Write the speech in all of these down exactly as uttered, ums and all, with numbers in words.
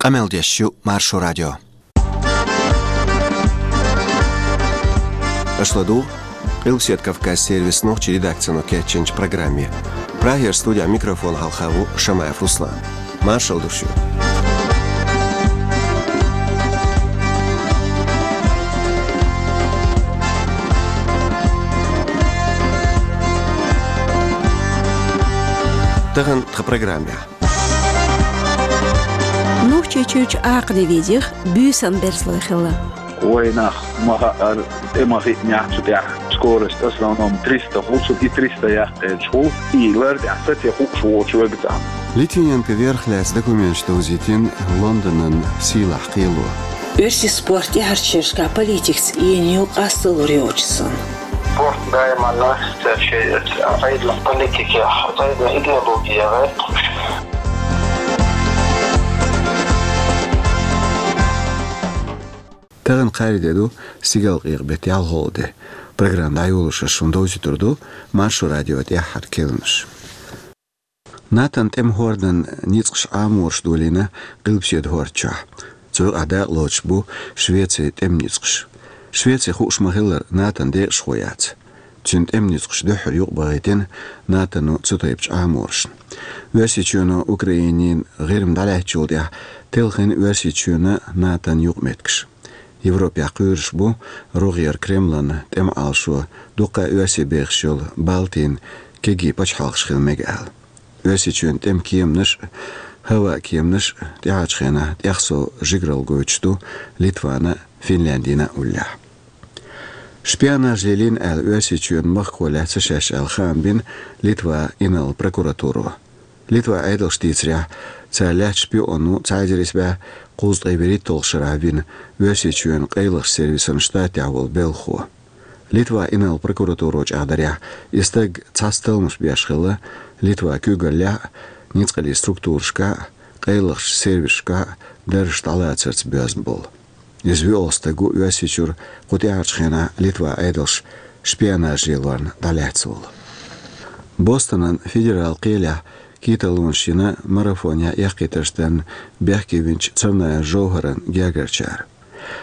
Къамел деш ю Маршо радио. Аша ладугӀу Къилбаседа Кавказ сервисан нохчийн редакцино кечйинчу программе. Прагера студехь микрофон хьалха ву Шамаев Руслан. Маршалла ду шуьга. Тахана тхан программехь. Нохчийчуьрчу Акхни визех буьйсан берзалой хилла. Вайнах ма хаьара, тӀе ма хиънехь цу тӀехь. Скорость в основном триста хӀу, цу и триста яккхийчу хӀу, и лар тӀехь саце хууш воцу вегацахь. Литвиненко верх лаьцна документаш довзийтина Лондонан сийлахь кхело. Оьрсийн спорт тӀаьхьарчу шерашкахь политикаца еанийла къасталур йоцуш санна. Спорт даиманна церчу Ӏедалан политикех, цӀайна идеология гӀерташ. Тахана кхаарин де ду, стигалкъекъа беттан ялхолгӀа де. Программа дӀайолош аса шуна довзуьйтур ду Маршо радион тӀаьххьара керланаш. НАТОн тӀеман хӀордан ницкъаш Ӏамораш долийна Къилбаседа хӀорда чохь. Цу юкъахь дакъалоцуш бу Швецин тӀеман ницкъаш. Швеци хууш ма-хиллара НАТОн декъашхо яц. Цуьнан тӀеман ницкъаш дуьххьара юкъабахийтина НАТОно цу тайпачу Ӏаморашна. Оьрсийчоьно Украинин ГӀирма дӀалаьцначул тӀаьхьа телхина Оьрсийчоьнан а, НАТОн юкъаметтигаш. Европехь кхоьруш бу рогӀера Кремлан тӀеман Ӏалашо дуккха а оьрсий бехаш йолу Балтин кегий пачхьалкхаш хила мега аьлла. Оьрсийчоьнан тӀеман кеманаш а, хӀаваан кеманаш а тӀаьхьарчу хенахь тӀехсов жигаралла гойтуш ду Литвана а, Финляндина а уллехь. Шпионаж лелийна аьлла, Оьрсийчоьнан махкахо лаьцна шаьш аьлла хаам бина Литван инарла прокуратуро. Литван Ӏедалша дийцарехь, цара лаьцна шпион ву цхьа эзар исс бӀе кхузткъе вуьрхӀитталгӀачу шарахь вина Оьрсийчоьнан къайлахчу сервисан штатехь волу белхахо. Литван инарла прокуратуро чӀагӀдарехь, и стаг цхьацца талламаш беш хилла Литван куьйгаллехь а, ницкъаллин структурашкахь а, къайлахчу сервисашкахь а даржаш дӀалацарца боьзна болу. Иза вуьйцу стаг ву Оьрсийчуьра кху тӀаьхьарчу хенахь Литван Ӏедалша шпионаж лелорна дӀалаьцна волу. Бостонан федералан кхелехь кхеталонаш йина марафонехь эккхийтарш дарна бехке винчу Царнаев Жовхаран гергарчара.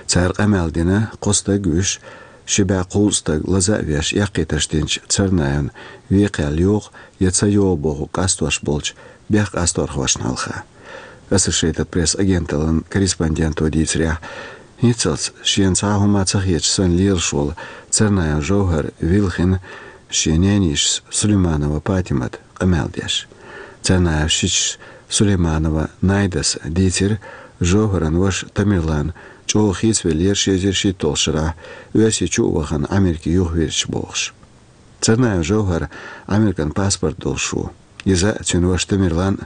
Цара къамел дина кхо стаг а вуьйш, ши бӀе кхузткъа стаг лаза а веш эккхийтарш динчу Царнаевна вен кхел йоху я ца йоху бохург къастош болчу бехкъасторхошна хьалха. Associated Press агенталлин корреспонденто дийцарехь, хӀинццалц шена цхьа а хӀума ца хеташ санна лелаш волу Царнаев Жовхар вилхина шен ненийшас Сулейманова Патимат къамел деш. Царнаевн шичас Сулейманова Найдас дийцира, Жовхаран ваша Тамерлан чӀогӀа хийцавеллера ши эзар шийтталгӀачу шарахь, Оьрсийчу а вахана Ӏамеркий юхавирзича бохуш. Царнаев Жовхар Ӏамеркан паспорт долуш ву. Иза а, цуьнан ваша Тамерлан а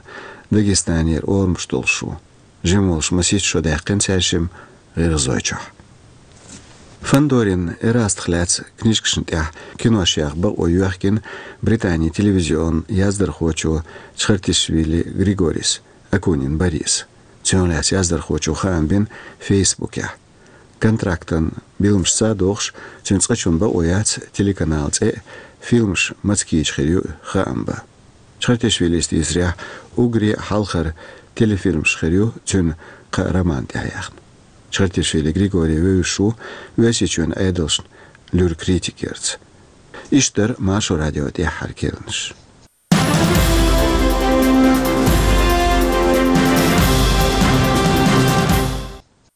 Дагестанера орамаш долуш ву. Жима волуш масийтта шо даьккхина цаьршимма ГӀиргӀазойчохь. Фандорин Эрастах лаьцна книжкашна тӀехь кинош яха бакъо йоьхкина Британин телевизионан яздархочо Чхартишвили Григорис, Акунин Борис. Цунах лаьцна яздархочо хаам бина Фейсбукехь. Контрактан билламашца а догӀуш, цуьнан цкъачунна бакъо яц телеканалан цӀе а, фильмаш маца кийча хир ю а хаам бан. Чхартишвилис дийцарехь, уггаре а хьалхара телефильмаш хир ю цуьнан кхаа романна тӀехь яьхна. Чхартишвили Григорий вевзаш ву Оьрсийчоьнан Ӏедалшна луьра критика ярца. Иштта дара Маршо радион тӀаьххьара керланаш.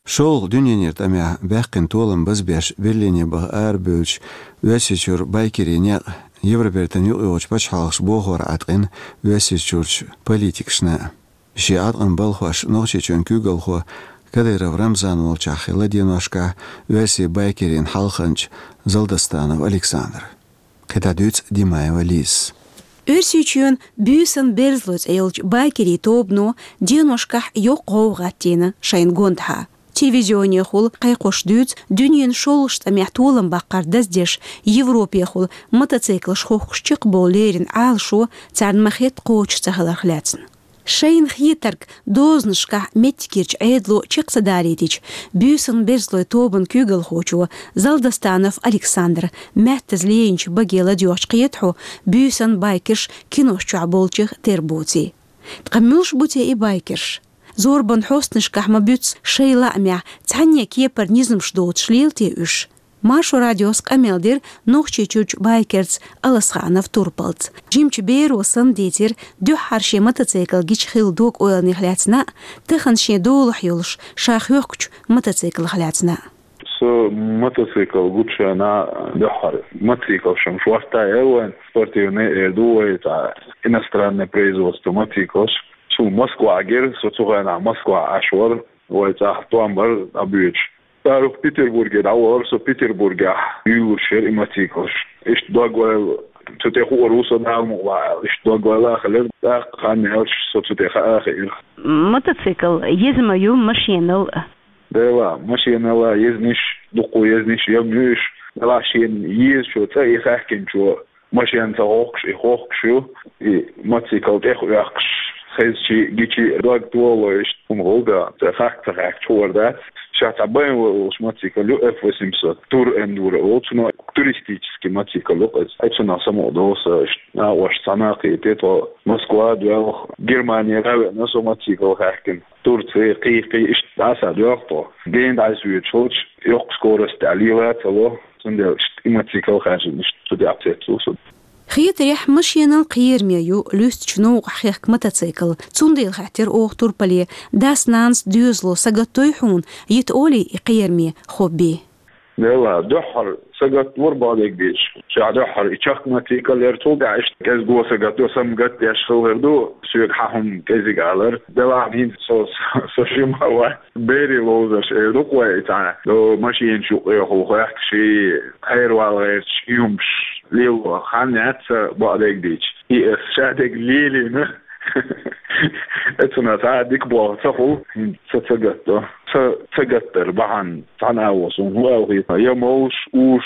ШолгӀа дуьненан тӀамехь баьккхина толам базбеш Берлине баха арабевллачу Оьрсийчуьра байкерийн некъ Евробертан юкъайогӀучу пачхьалкхаша бохор Ӏаткъина Оьрсийчуьрчу политикашна. Шен Ӏаткъам балхош Нохчийчоьнан куьйгалхо Кадыров Рамзан волчохь хилла деношкахь оьрсийн байкерийн хьалханча Залдастанов Александр. КхидӀа дуьйцу Димаева Лизас. Оьрсийчоьнан буьйсан берзалой цӀе йолчу байкерийн тобано деношкахь йоккха гӀовгӀа гӀаттийна шайна гондахьа. Телевизионехула кхайкхош дуьйцу дуьненан шолгӀачу тӀамехь толам баккхар даздеш, Европехула мотоциклаш хохкуш чекхбовла лерина Ӏалашо царна ма-хетта кхочуш ца хиларх лаьцна. Шайна хетарг дозанашкахь меттигерчу Ӏедало чекх ца далийтича, буьйсан берзалой тобанан куьйгалхочо Залдастанов Александра маьттаза лейначу баге ладоьгӀча кхета хьо буьйсан байкерш кинош чохь болчех тера боций. Ткъа муьлш бу те и байкерш? Зорбан хьостанашкахь ма буьту шайн лаамехь цхьанне кепара низамаш доцуш лела те уьш? Маршо радиос къамел дира Нохчийчуьрчу байкерца Аласханов Турпалца. Жимачу беро санна дийцира дуьххьара шен мотоцикл гича хилла дог-ойланех лаьцна а, тахана шен долахь йолуш ша хьоьхучу мотоциклах лаьцна а. Со мотоцикл гучана дуьххьара. Мотоциклаш-м шортта яра вайн, спортивный эр ду вай, цхьа иностранный производство мотоциклаш. Цу Москвахь гира, со цу хенахь Москвахь Ӏаш вара, вай цӀахь тӀом бара дӀабоьдуш. ЦӀарах Петербурге дӀавахара, со Петербургехь юьйлуш яра и мотоциклаш. Иштта дог-ойла, цу тӀе хуур ву со Дала мукъ лахь аьлла. Иштта дог-ойла а хилира, тӀаккха хан яьлча со цу тӀе хаа а хиира. Мотоцикл еза ма ю машенал а. Дела, машенал а езниш, дуккха езниш, я муьйш, дела шена езачо цӀа и хаьхкинчо машен ца хохкуш, и хохкуш ю, и мотоцикл тӀех оьккхуш, хезчи, гичи дог толо иштта хӀума гӀулда, ца хахка ца хаьхкачу хуур дац. Ша цхьа байн волуш мотоцикл ю, F восемьсот, Тур Эндуро олу, цуьнан туристический мотоцикл ю иза. Ай цунах самукъа доса иштта, накъош цхьа накхийти тхо Москва а доьлху, Германера а веана со мотоцикл хаьхкина. Турци, кхий-кхий, иштта дӀаса доьлху тхо. Гена дӀасавоьдуш хилча, йоккха скорость тӀехь лела а ца ло, цундела иштта и мотоцикл хаьржина, иштта цу тӀехь цецву со. Хетарехь, машенал кхераме ю луьстачу новкъахь хехка мотоцикл. Цундела хаьттира оха Турпале: дас-нанас доьзало сагатдой хьуна, йита олий и кхераме хобби? Дела, дуьххьара сагатдора бакъдерг дийцича. Ша дуьххьара и чехка мотоцикл яра, цул тӀаьхьа иштта кӀезиго сагатдо, самагатдеш хилла хир ду, соьга хьан хӀума кӀезиг алар. Дела, хӀинца со, со жима вац, берийн ловзарш эр ду-кх вай цхьа, до машенаш юккъехула хоьхкуш, хьервала гӀерташ, и хӀумаш лело хан яц сан бакъдерг дийцича. И ас шадерг лелийна. Эцунах цхьа а дика болх ца хуьлу, хӀинца ца, ца гатдо. Ца, ца гатдар бахьана цхьана агӀо суна хӀун аьлла хета: я молуш, уьш,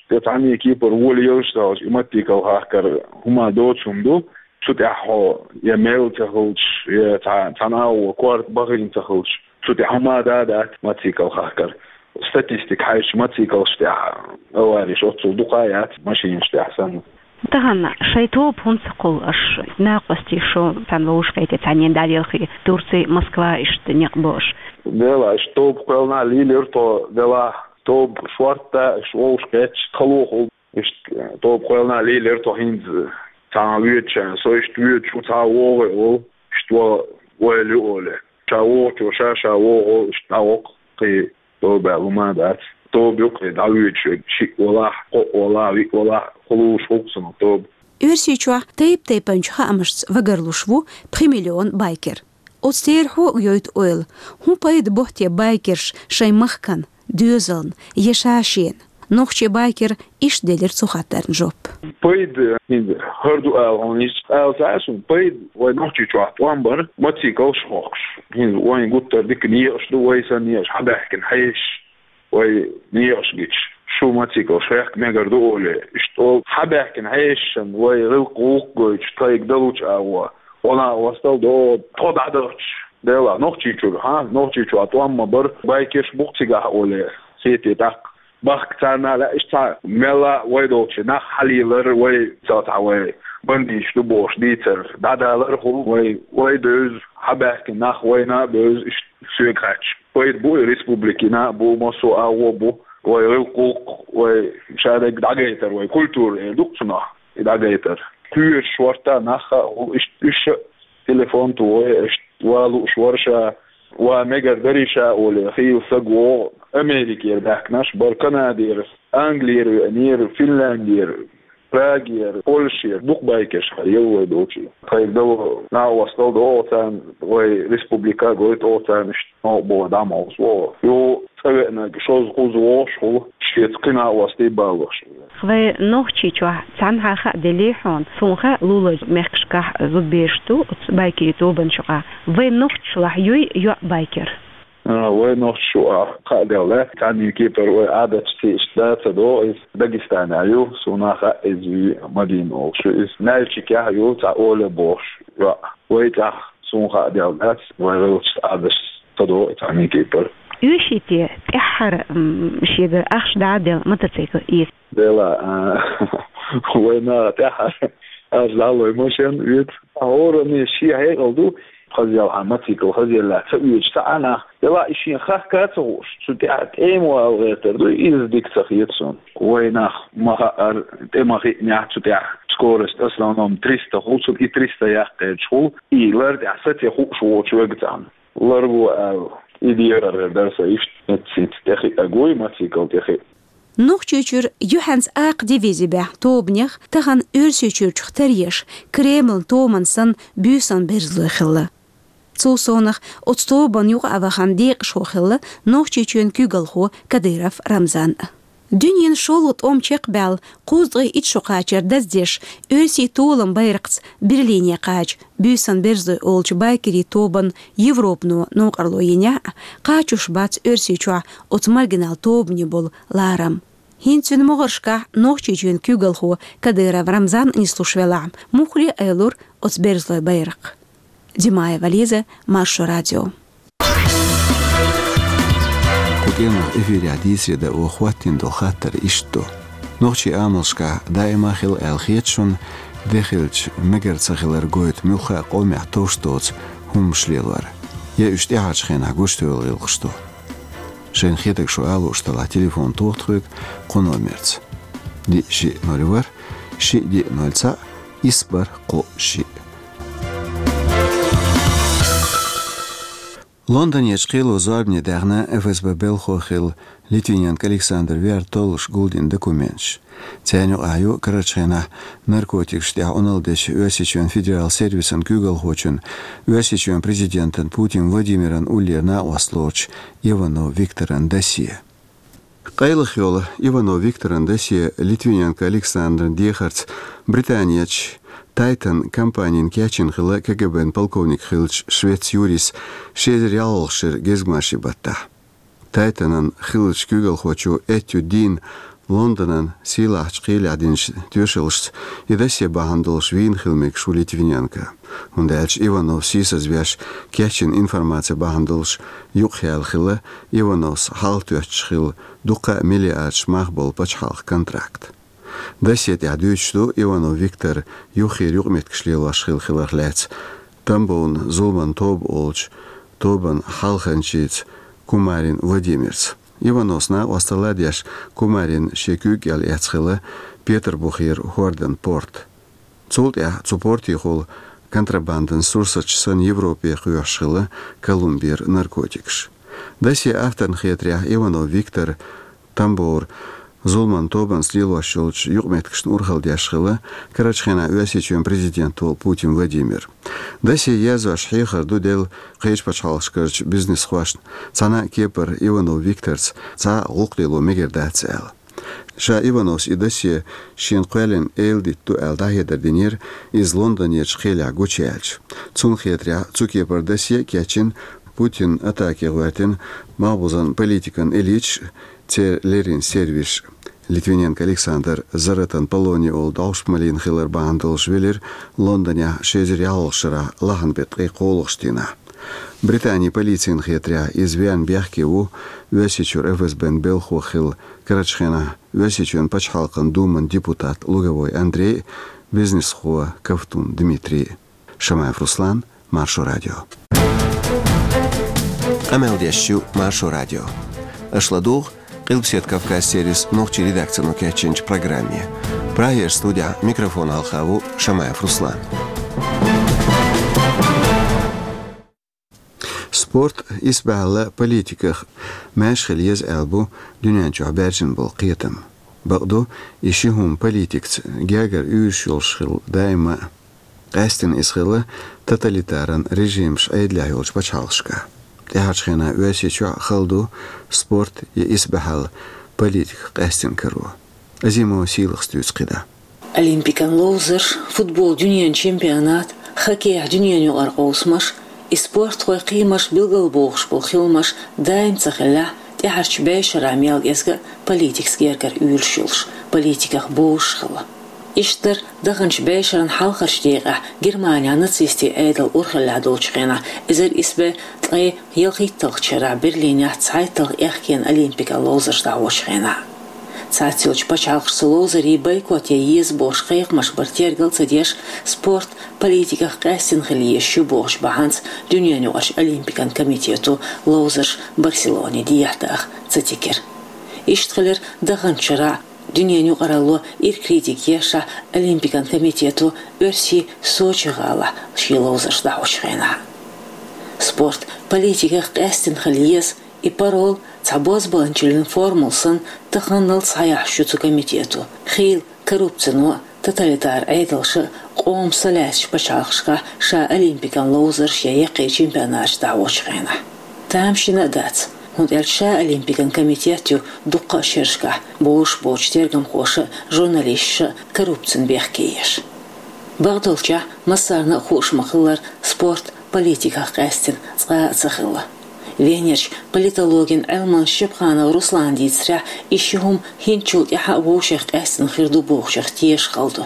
я цхьанне кепара волаелаш а ца хилча, и мотоцикл хахкар хӀума доцу хӀума ду, цу тӀехь хьо я мел ца хилча, я цхьа, цхьана агӀо корта бахийна ца хилча, цу тӀехь хӀума да а дац мотоцикл хахкар. Статистика хьаьжча, мотоциклаш тӀехь авареш оццул дукха а яц машинаш тӀехь санна. Тахана шайн тоба хӀунда ца кхуллу аша, накъостий, шу цхьана вовшахкхетий, цхьаннена дӀалелхий, Турций, Москва, иштта некъ бу аша? Дела, аша тоба кхоьллина лелийра тхо, делахь, тоба шортта, аша вовшахкхетча, хало хуьлу. Иштта тоба кхоьллина лелийра тхо хӀинца, цхьана воьдучарна, со иштта воьдуш ву, цхьа вогӀий волу, иштта ван ойла ю олий. Ша вогӀучо ша, ша вогӀу, иштта дӀавоккху, кхин тоба аьлла хӀума дац. Тоба ю-кх и дӀавоьдуш верг, шиъ валахь, кхоъ валахь, виъ валахь, кхуллуш ву-кх цунах тоба. Оьрсийчохь тайп-тайпанчу хаамашца вагаралуш ву пхи миллион байкер. Оцу терахьо а йойту ойла: хӀун пайда бо те байкерш шайн махкана, доьзална, я ша шена? Нохчийн байкера иштта делира цу хаттарна жоп. Пайда хӀинца хӀара ду ала хьуна, иза ала ца а суна, пайда вай Нохчийчохь тӀом бар мотоциклаш хохкуш. ХӀинца вайн гуттар дика некъаш ду, вай санна некъаш хьабаьхкина хьешаш. Вай некъаш гича, шу мотоциклаш хехка мегар ду олий, иштта олу хьабаьхкина хьешашна вай гӀиллакх-гӀуллакх гойтуш, тхайга далучу агӀо, гӀо-накъостал до тхо дӀадахча. Делахь, Нохчийчуьра, хьа, Нохчийчохь тӀом ма бара, байкерш бу-кх цигахь олий, хетий тӀаккха. Бахка царна а лаьа, иштта цхьа мелла а вай долчу нах хьалийлар, вай цхьа цхьа вай бандиташ ду бохуш дийцар дӀадалар а хуьлу, вай, вай бевза, хьабаьхкина нах вайна а бевза, иштта соьга хаьттича. Пайда бу и республикина а бу, массо а агӀо бу, вай гӀиллакх-гӀуллакх, вай шадерг дӀагайтар, вай культура эр ду-кх цунах, и дӀагайтар. Кхоьруш шортта нах а хуьлу, иштта уьш а телефон тухий, иштта ва лууш вара ша, ва мегар дарий ша олий, хийла саг вогӀу, Америкера баьхкинарш бара, Канадера, Англера веанера, Финляндера, Прагера, Польшера дукха байкерш хьаелла вай долчу. Тхайга дало накъостал до оха царна, вай республика а гойту оха царна, иштта новкъа боху дӀа ма хьовсу оха. Юха цӀа веанарг шозза-кхузза вогӀуш хуьлу, шеца кхин накъостий баллалаш. Вай Нохчийчохь цхьанхьа хаа делий хьуна, суна хаьа, луларчу мехкашкахь зудабераш ду оцу байкерийн тобанаш юкъахь. Вай нохчашлахь юй йоӀ байкер? А, вай нохчашлахь хаа делла, цхьанне кепара вай Ӏадаташца иштта да ца догӀу иза. Дагестанехь ю, суна хаьа иза, Мадина олуш ю иза. Нальчикехь ю цхьа Оля бохуш йоӀ. Вай цӀахь, суна хаа делла дац, вай гӀиллакхашца, Ӏадаташца ца догӀу и цхьанне кепара. Оьший те тӀаьххьара, м, шегара ахча дӀа а делла мотоцикл эца? Дела, а, вайна тӀаьххьара ахча дӀа а лой машен эца. ХӀоранна шен хьекъал ду, хазъелхьа моцикл хазъеллехь ца оьцуш ца Ӏа нах, делахь и шен хахка а ца хууш, цу тӀехь тӀема вала гӀертар ду, иза дика ца хета суна. Вай нах ма хаара, тӀе ма хиънехь цу тӀехь скорость в основном триста хул, цу и триста яккхийчу хул, и лар тӀехь саце хууш воцуш верг цхьаьна. Ларво аьлла, и дехар дара сан иштта, эццинца тӀехиъ а гуй, моцикл тӀехиъ. Нохчийчуьра юьхьанца акха дивизи баьхна тобанех тахана Оьрсийчуьрчух тара еш, Кремлан томан санна буьйсан берзалой хилла. Цул совнах оцу тобанна юкъа а вахана декъашхо хилла Нохчийчоьнан куьйгалхо Кадыров Рамзан а. Дуьненан шолгӀа тӀом чекхбаьлла кхузткъе итт шо кхачар даздеш, оьрсийн толам байракхца Берлине кхача буьйсан берзалой олучу байкерийн тобанна Европано новкъарло йинехь а, кхачош бац Оьрсийчохь оцу маргинал тобанийн болу ларам. ХӀинца цуьнан могӀаршкахь Нохчийчоьнан куьйгалхо Кадыров Рамзан а нислуш велахь, муххале а айлура оцу берзалойн байракх. Димаева Лиза, Маршо радио. Кху кӀиранах эфирехь дийцаре дан оха хӀоттийна долу хаттар иштта ду. Нохчийн амалшкахь даима а хилла аьлла хета шуна, де хилча мегар ца хилар гойту муьлхха а къомехь товш доцу хӀуманаш лелор. Я уьш тӀаьхьарчу хенахь гучудевлла гӀиллакхаш ду? Шайна хетарг шу ала лууш делахь, телефон тоха тхоьга кху номерца: диъ шиъ ноль ворхӀ, шиъ диъ ноль цхьаъ, исс бархӀ кхоъ шиъ. Лондонерчу кхело зорбане даьхна ФСБ белхахо хилла Литвиненко Александр вер толлуш гулдина документаш. Царна юкъахь ю карарчу хенахь наркотикашна тӀехь Ӏуналла дечу Оьрсийчоьнан федерал сервисан куьйгалхочун, Оьрсийчоьнан президентан Путин Владимиран уллера накъост лоцучу Иванов Викторан досье. Къайлаха йолу Иванов Викторан досье Литвиненко Александран дехарца Британерчу Titan компанина кечйина хилла КГБ-н полковник хиллачу швец Юрис ши эзар ялхалгӀачу шеран гезгмашин баттахь. Titan-ан хиллачу куьйгалхочо Эттью Дин Лондонан сийлахьчу кхелехь динчу тоьшаллашца и досье бахьана долуш вийна хила мегаш ву Литвиненко. ХӀунда аьлча Иванов сийсазвеш кечйина информаци бахьана долуш юкъахъяьлла хилла Ивановс хьалхатоьттуш хилла дуккха а миллиардаш мах болу пачхьалкхан контракт. Досье тӀехь дуьйцуш ду Иванов Виктор юххера юкъаметтигаш лелош хилла хиларх лаьцна Тамбовна «Зуламан тоба» олучу тобан хьалханчица Кумарин Владимирца. Ивановс накъосталла а деш, Кумарин шен куьйга кӀел эцна хилла Петарбухера хӀордан порт. Цул тӀаьхьа цу портехула контрабандан сурсаташ санна Европе кхоьхьуш хилла Колумбера наркотикаш. Досье авторна хетарехь, Иванов Виктор Тамбовра «Зуламан тобанца» лелош йолчу юкъаметтигашна урхалла деш хилла карарчу хенахь Оьрсийчоьнан президент волу Путин Владимир. Досье язъеш хьехар ду делла кхечу пачхьалкхашкарчу бизнесхошна, цхьана а кепара Иванов Викторца цхьа а гӀуллакх лело мегар дац аьлла. Ша Ивановс и досье шена кхоьллина эладита ду аьлла дӀахьедар динера иза Лондонерчу кхелехь гучуяьлча. Цунна хетарехь, цу кепара досье а кечйина, Путинна атаке гӀоьртина малхбузан политикан элиташ, церан леррина сервисаш. Литвиненко Александр Заратан Полони олу дӀовш малийна хилар бахьана долуш велира Лондонехь ши эзар ялхалгӀачу шарахь лахьанан беттан ткъе кхоалгӀачу дийнахь. Британин полицина хетарехь, иза веана бехке ву Оьрсийчуьра ФСБ-н белхахо хилла карарчу хенахь Оьрсийчоьнан Пачхьалкхан Думан депутат Луговой Андрей а, бизнесхо Ковтун Дмитрий а. Шамаев Руслан, Маршо радио. Къамел деш ю Маршо радио. Аша ладугӀу Къилбаседа Кавказ сервисан нохчийн редакцино кечйинчу программе. Прагера студехь микрофон хьалха ву Шамаев Руслан. Спорт исбаьхьалла политиках маьрша хила еза аьлла бу дуьнен чохь баьржина болу кхетам. Бакъду, и ши хӀума политикаца гергара уьйраш йолуш хилла даима а. Къаьсттина иза хилла тоталитаран режимаш Ӏедалехь йолчу пачхьалкхашкахь. ТӀаьхьарчу хенахь Оьрсийчохь а хала ду спорт я исбаьхьалла политиках къаьсттина каро. Азимова Сийлахас дуьйцу кхидӀа. Олимпикан ловзарш, футбол дуьненан чемпионат, хоккейхь дуьненан юкъара къовсамаш, и спортхойн кхиамаш билгалбохуш болу хиламаш даим ца хиллехь, тӀаьхьарчу бӀешарахь мел кӀезга а политикаца гергара уьйраш йолуш, политиках бозуш хилла. Иштта дара даханчу бӀешаран хьалхарчу декъехь Германехь нацистийн Ӏедал урхаллехь долчу хенахь, эзар исс бӀе ткъе ялхитталгӀачу шарахь Берлинехь цхьайтталгӀа аьхкенан Олимпикан ловзарш дӀахьочу хенахь. Цхьаццайолчу пачхьалкхашца ловзарийн бойкот ян еза бохуш кхайкхамаш бар тергал ца деш, спорт политиках къаьстина хила езаш ю бохучу бахьанца Дуьненаюкъарчу Олимпикан комитето ловзарш Барселоне дехьадаха ца тигира. Иштта хилира даханчу шарахь, дуьненан юкъаралло ира критика ешшехь, Олимпикан комитето Оьрсийн Сочи гӀалахь шен ловзарш дӀахьочу хенахь. Спорт политиках къаьстина хила еза, и парол цхьа бозбуунчаллин формула санна таханлал схьаяхьаш ю цу комитето. Хийла коррупцино а, тоталитар Ӏедалша а къоман са лаьцначу пачхьалкхашкахь ша Олимпикан ловзарш я яккхий чемпионаташ дӀахьочу хенахь. Тамашийна а дац, хӀунда аьлча ша Олимпикан комитет ю дуккха а шерашкахь, бозуш боцчу тергамхоша а, журналисташа а коррупцина бехке еш. Бакъдолчехь, массарна а хууш ма-хиллара, спорт политиках къаьстина цкъа а ца хилла. Венерчу политологин Ӏилманчу Шипханов Руслана дийцарехь, и ши хӀума хӀинцачул тӀаьхьа а вовшех къаьстина хир ду бохучух тешаш хала ду.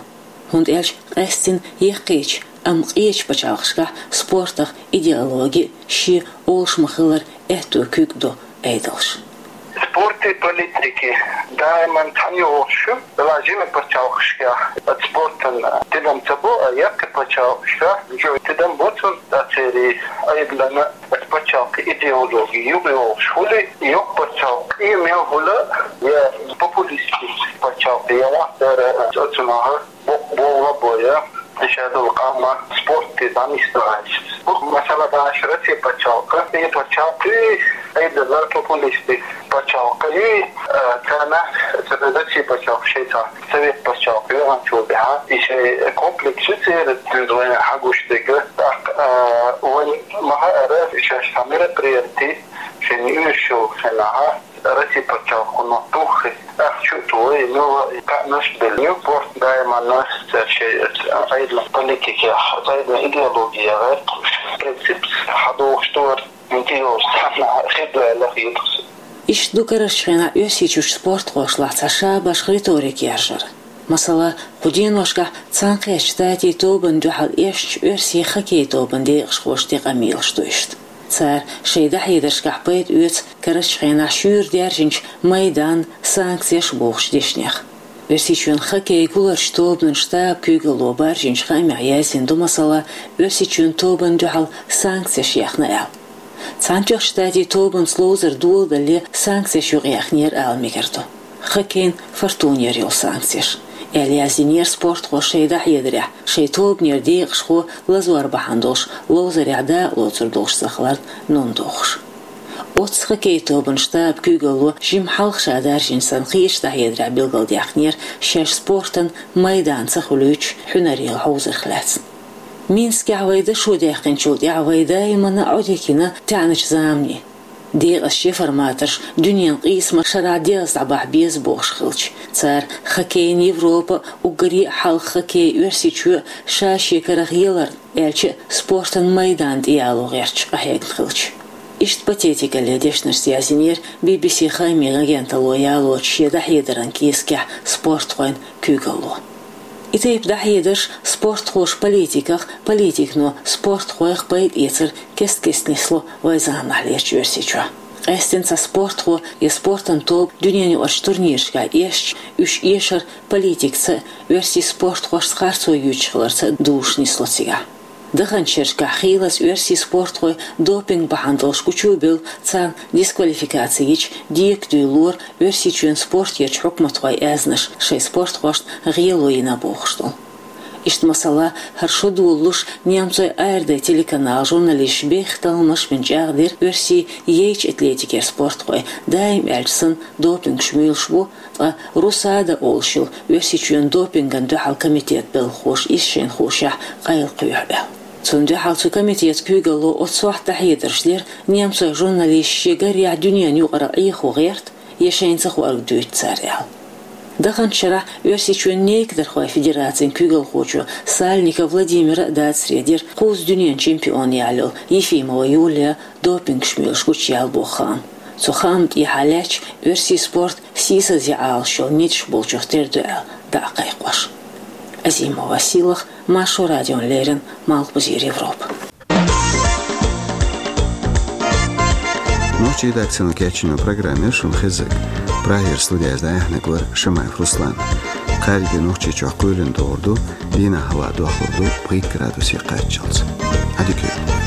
ХӀунда аьлча къаьстина яккхийчу, амма къечу пачхьалкхашкахь спортах идеологи а, шен олуш ма-хиллара аьтту куьг а ду Ӏедалша. Спорти политики даиман цхьаьна йогӀуш ю. Делахь жимачу пачхьалкхашкахь оцу спортана тидам ца бо, а яккхий пачхьалкхашкахь жо тидам бо цунна, церан Ӏедална оцу пачхьалкхан идеологи юкъайогӀуш хуьлий, йоккха пачхьалкх къемел хуьлий, я популистский пачхьалкх, я вахтара оцунах боккха болх бо, я ша долу къам спорте дӀанисдалийта. Масала, баьш Росси пачхьалкх, и пачхьалкх юй, Ӏедалан популистский пачхьалкх юй, а, царна, царна Росси пачхьалкх шайца Совет пачхьалкх йогӀанчул тӀаьхьа, и шайн комплекс ю церан, вайна хьагуш дерг. ТӀаккха, а, вайн ма-хаъара, шаьш цхьа мероприяти шайна оьшуш йолу хенахь, Росси пачхьалкхо туххий, ахча а тохий, муьлха кхаънаш а белла ю, спорт даиманна цара шайн Ӏедалан политикех, Ӏедалан идеологех гӀерташ, принципаш хьадохуш ду хӀара, хӀинца йолуш цхьанна хир ду аьлла хеташ. Иштта ду карарчу хенахь Оьрсийчуьрчу спортхошлахь цхьа шабашха риторика яржар. Масала, кху деношкахь Цхьаьнакхеттачу Штатийн тобанна дуьхьал эшначу оьрсийн хоккей тобанан декъашхоша тӀе къамелаш ду иштта. Цара шайн дӀахьедаршкахь пайда оьцу карарчу хенахь шуьйра даьржинчу майданан санкцеш бохучу дешнех. Оьрсийчоьнан хоккей гуларчу тобанан штабан куьйгалло баржийначу хаамехь яздина ду, масала, Оьрсийчоьнан тобанна дуьхьал санкцеш яьхна аьлла. Цхьаьнатоьхначу Штатийн тобанца ловзар доладалале санкцеш юкъаяьхнера ала мегар ду. Хоккейна «Фортунера» йолу санкцеш, аьлла яздинера спортхоша шайн дӀахьедарехь, шайн тобанера декъашхо лазор бахьана долуш ловзарехь дакъа лоцур долуш ца хиларна нун дохуш. Оццу хоккей тобанан штабан куьйгалло жимма хьалха ша даржийна санна кхечу дӀахьедарехь билгалдаьккхинера шаьш спортан майдан ца хуьлуьйтуш хьуьнарел хьовзарх лаьцна. Минскехь вай дашо даьккхинчул тӀаьхьа вай даиманна Ӏодика йина таьӀначу заманийн. Декъазчу реформаторша дуьненан къийсамаш шарахь дегӀаца дӀабахьа беза бохуш хилча, цара хоккейна Европа, уггаре а хьалха хоккей Оьрсийчоь ша-шен карах яларна, аьлча а спортан майдан тӀеяло гӀерташ къахьегна хилча. Иштта патетикалле дешнашца яздинера Би-Би-Си хаамийн агенталло ялочу шен дӀахьедаран кескехь спортхойн куьйгалло. И тайпа дӀахьедарш спортхоша политиках, политикано спортхойх пайда эцар кест-кеста нисло вайн заманахьлерчу Оьрсийчохь. Къаьсттина цхьа спортхо я спортан тоба дуьненаюкъарчу турнирашкахь эшча, уьш эшар политикаца а, оьрсийн спортхошца харцо юьйцуш хиларца а дузуш нисло цигахь. Даханчу шерашкахь хийлаза оьрсийн спортхой допинг бахьана долуш гучу а бевлла, царна дисквалификаци йича, декадуьйлалора Оьрсийчоьнан спортерчу хьукматхойн аьзнаш шайн спортхошна гӀело йина бохуш долу. Иштта масала, хӀара шо долалуш немцойн «АРД» телеканалан журналисташа бехктакхамаш бина чӀагӀдира оьрсийн яйчу атлетикера спортхой, даим аьлча санна, допингаш муьйлуш бу, ткъа РУСАДА олуш йолу Оьрсийчоьнан допингана дуьхьал комитетан белхахоша иза шайна хуушехь къайлакхоьхьу аьлла. Цунна дуьхьал цу комитетан куьйгалло оццу сохьта дӀахьедарш дира, немцойн журналисташа шен гарехь дуьненан юкъара Ӏехо гӀерта, я шайна ца хоарг дуьйцу цара аьлла. Даханчу шарахь Оьрсийчоьнан нейкадархойн федерацин куьйгалхочо Сальников Владимира а дацаре дира кхузза дуьненан чемпион ялайолу Ефимова Юлия допингаш муьйлуш гучуяла боху хаам. Цу хаамна тӀехьа лаьтташ оьрсийн спорт сийсазе Ӏалашъяла ниташ болчух тера ду аьлла дӀа а кхайкхош. Азимова Сийлаха, Маршо радиона леррина, Малхбузера Европа. Нохчийн редакцино кечйинчу программе шуна хезира. Прагера студияза дӀаяьхьнарг вар Шамаев Руслан. Кхаьрдийгара Нохчийчохь кхоьлина догӀур ду, дийнахь хӀаваъ дохлур ду пхийтта градусе кхаччалц. Ӏадика йойла.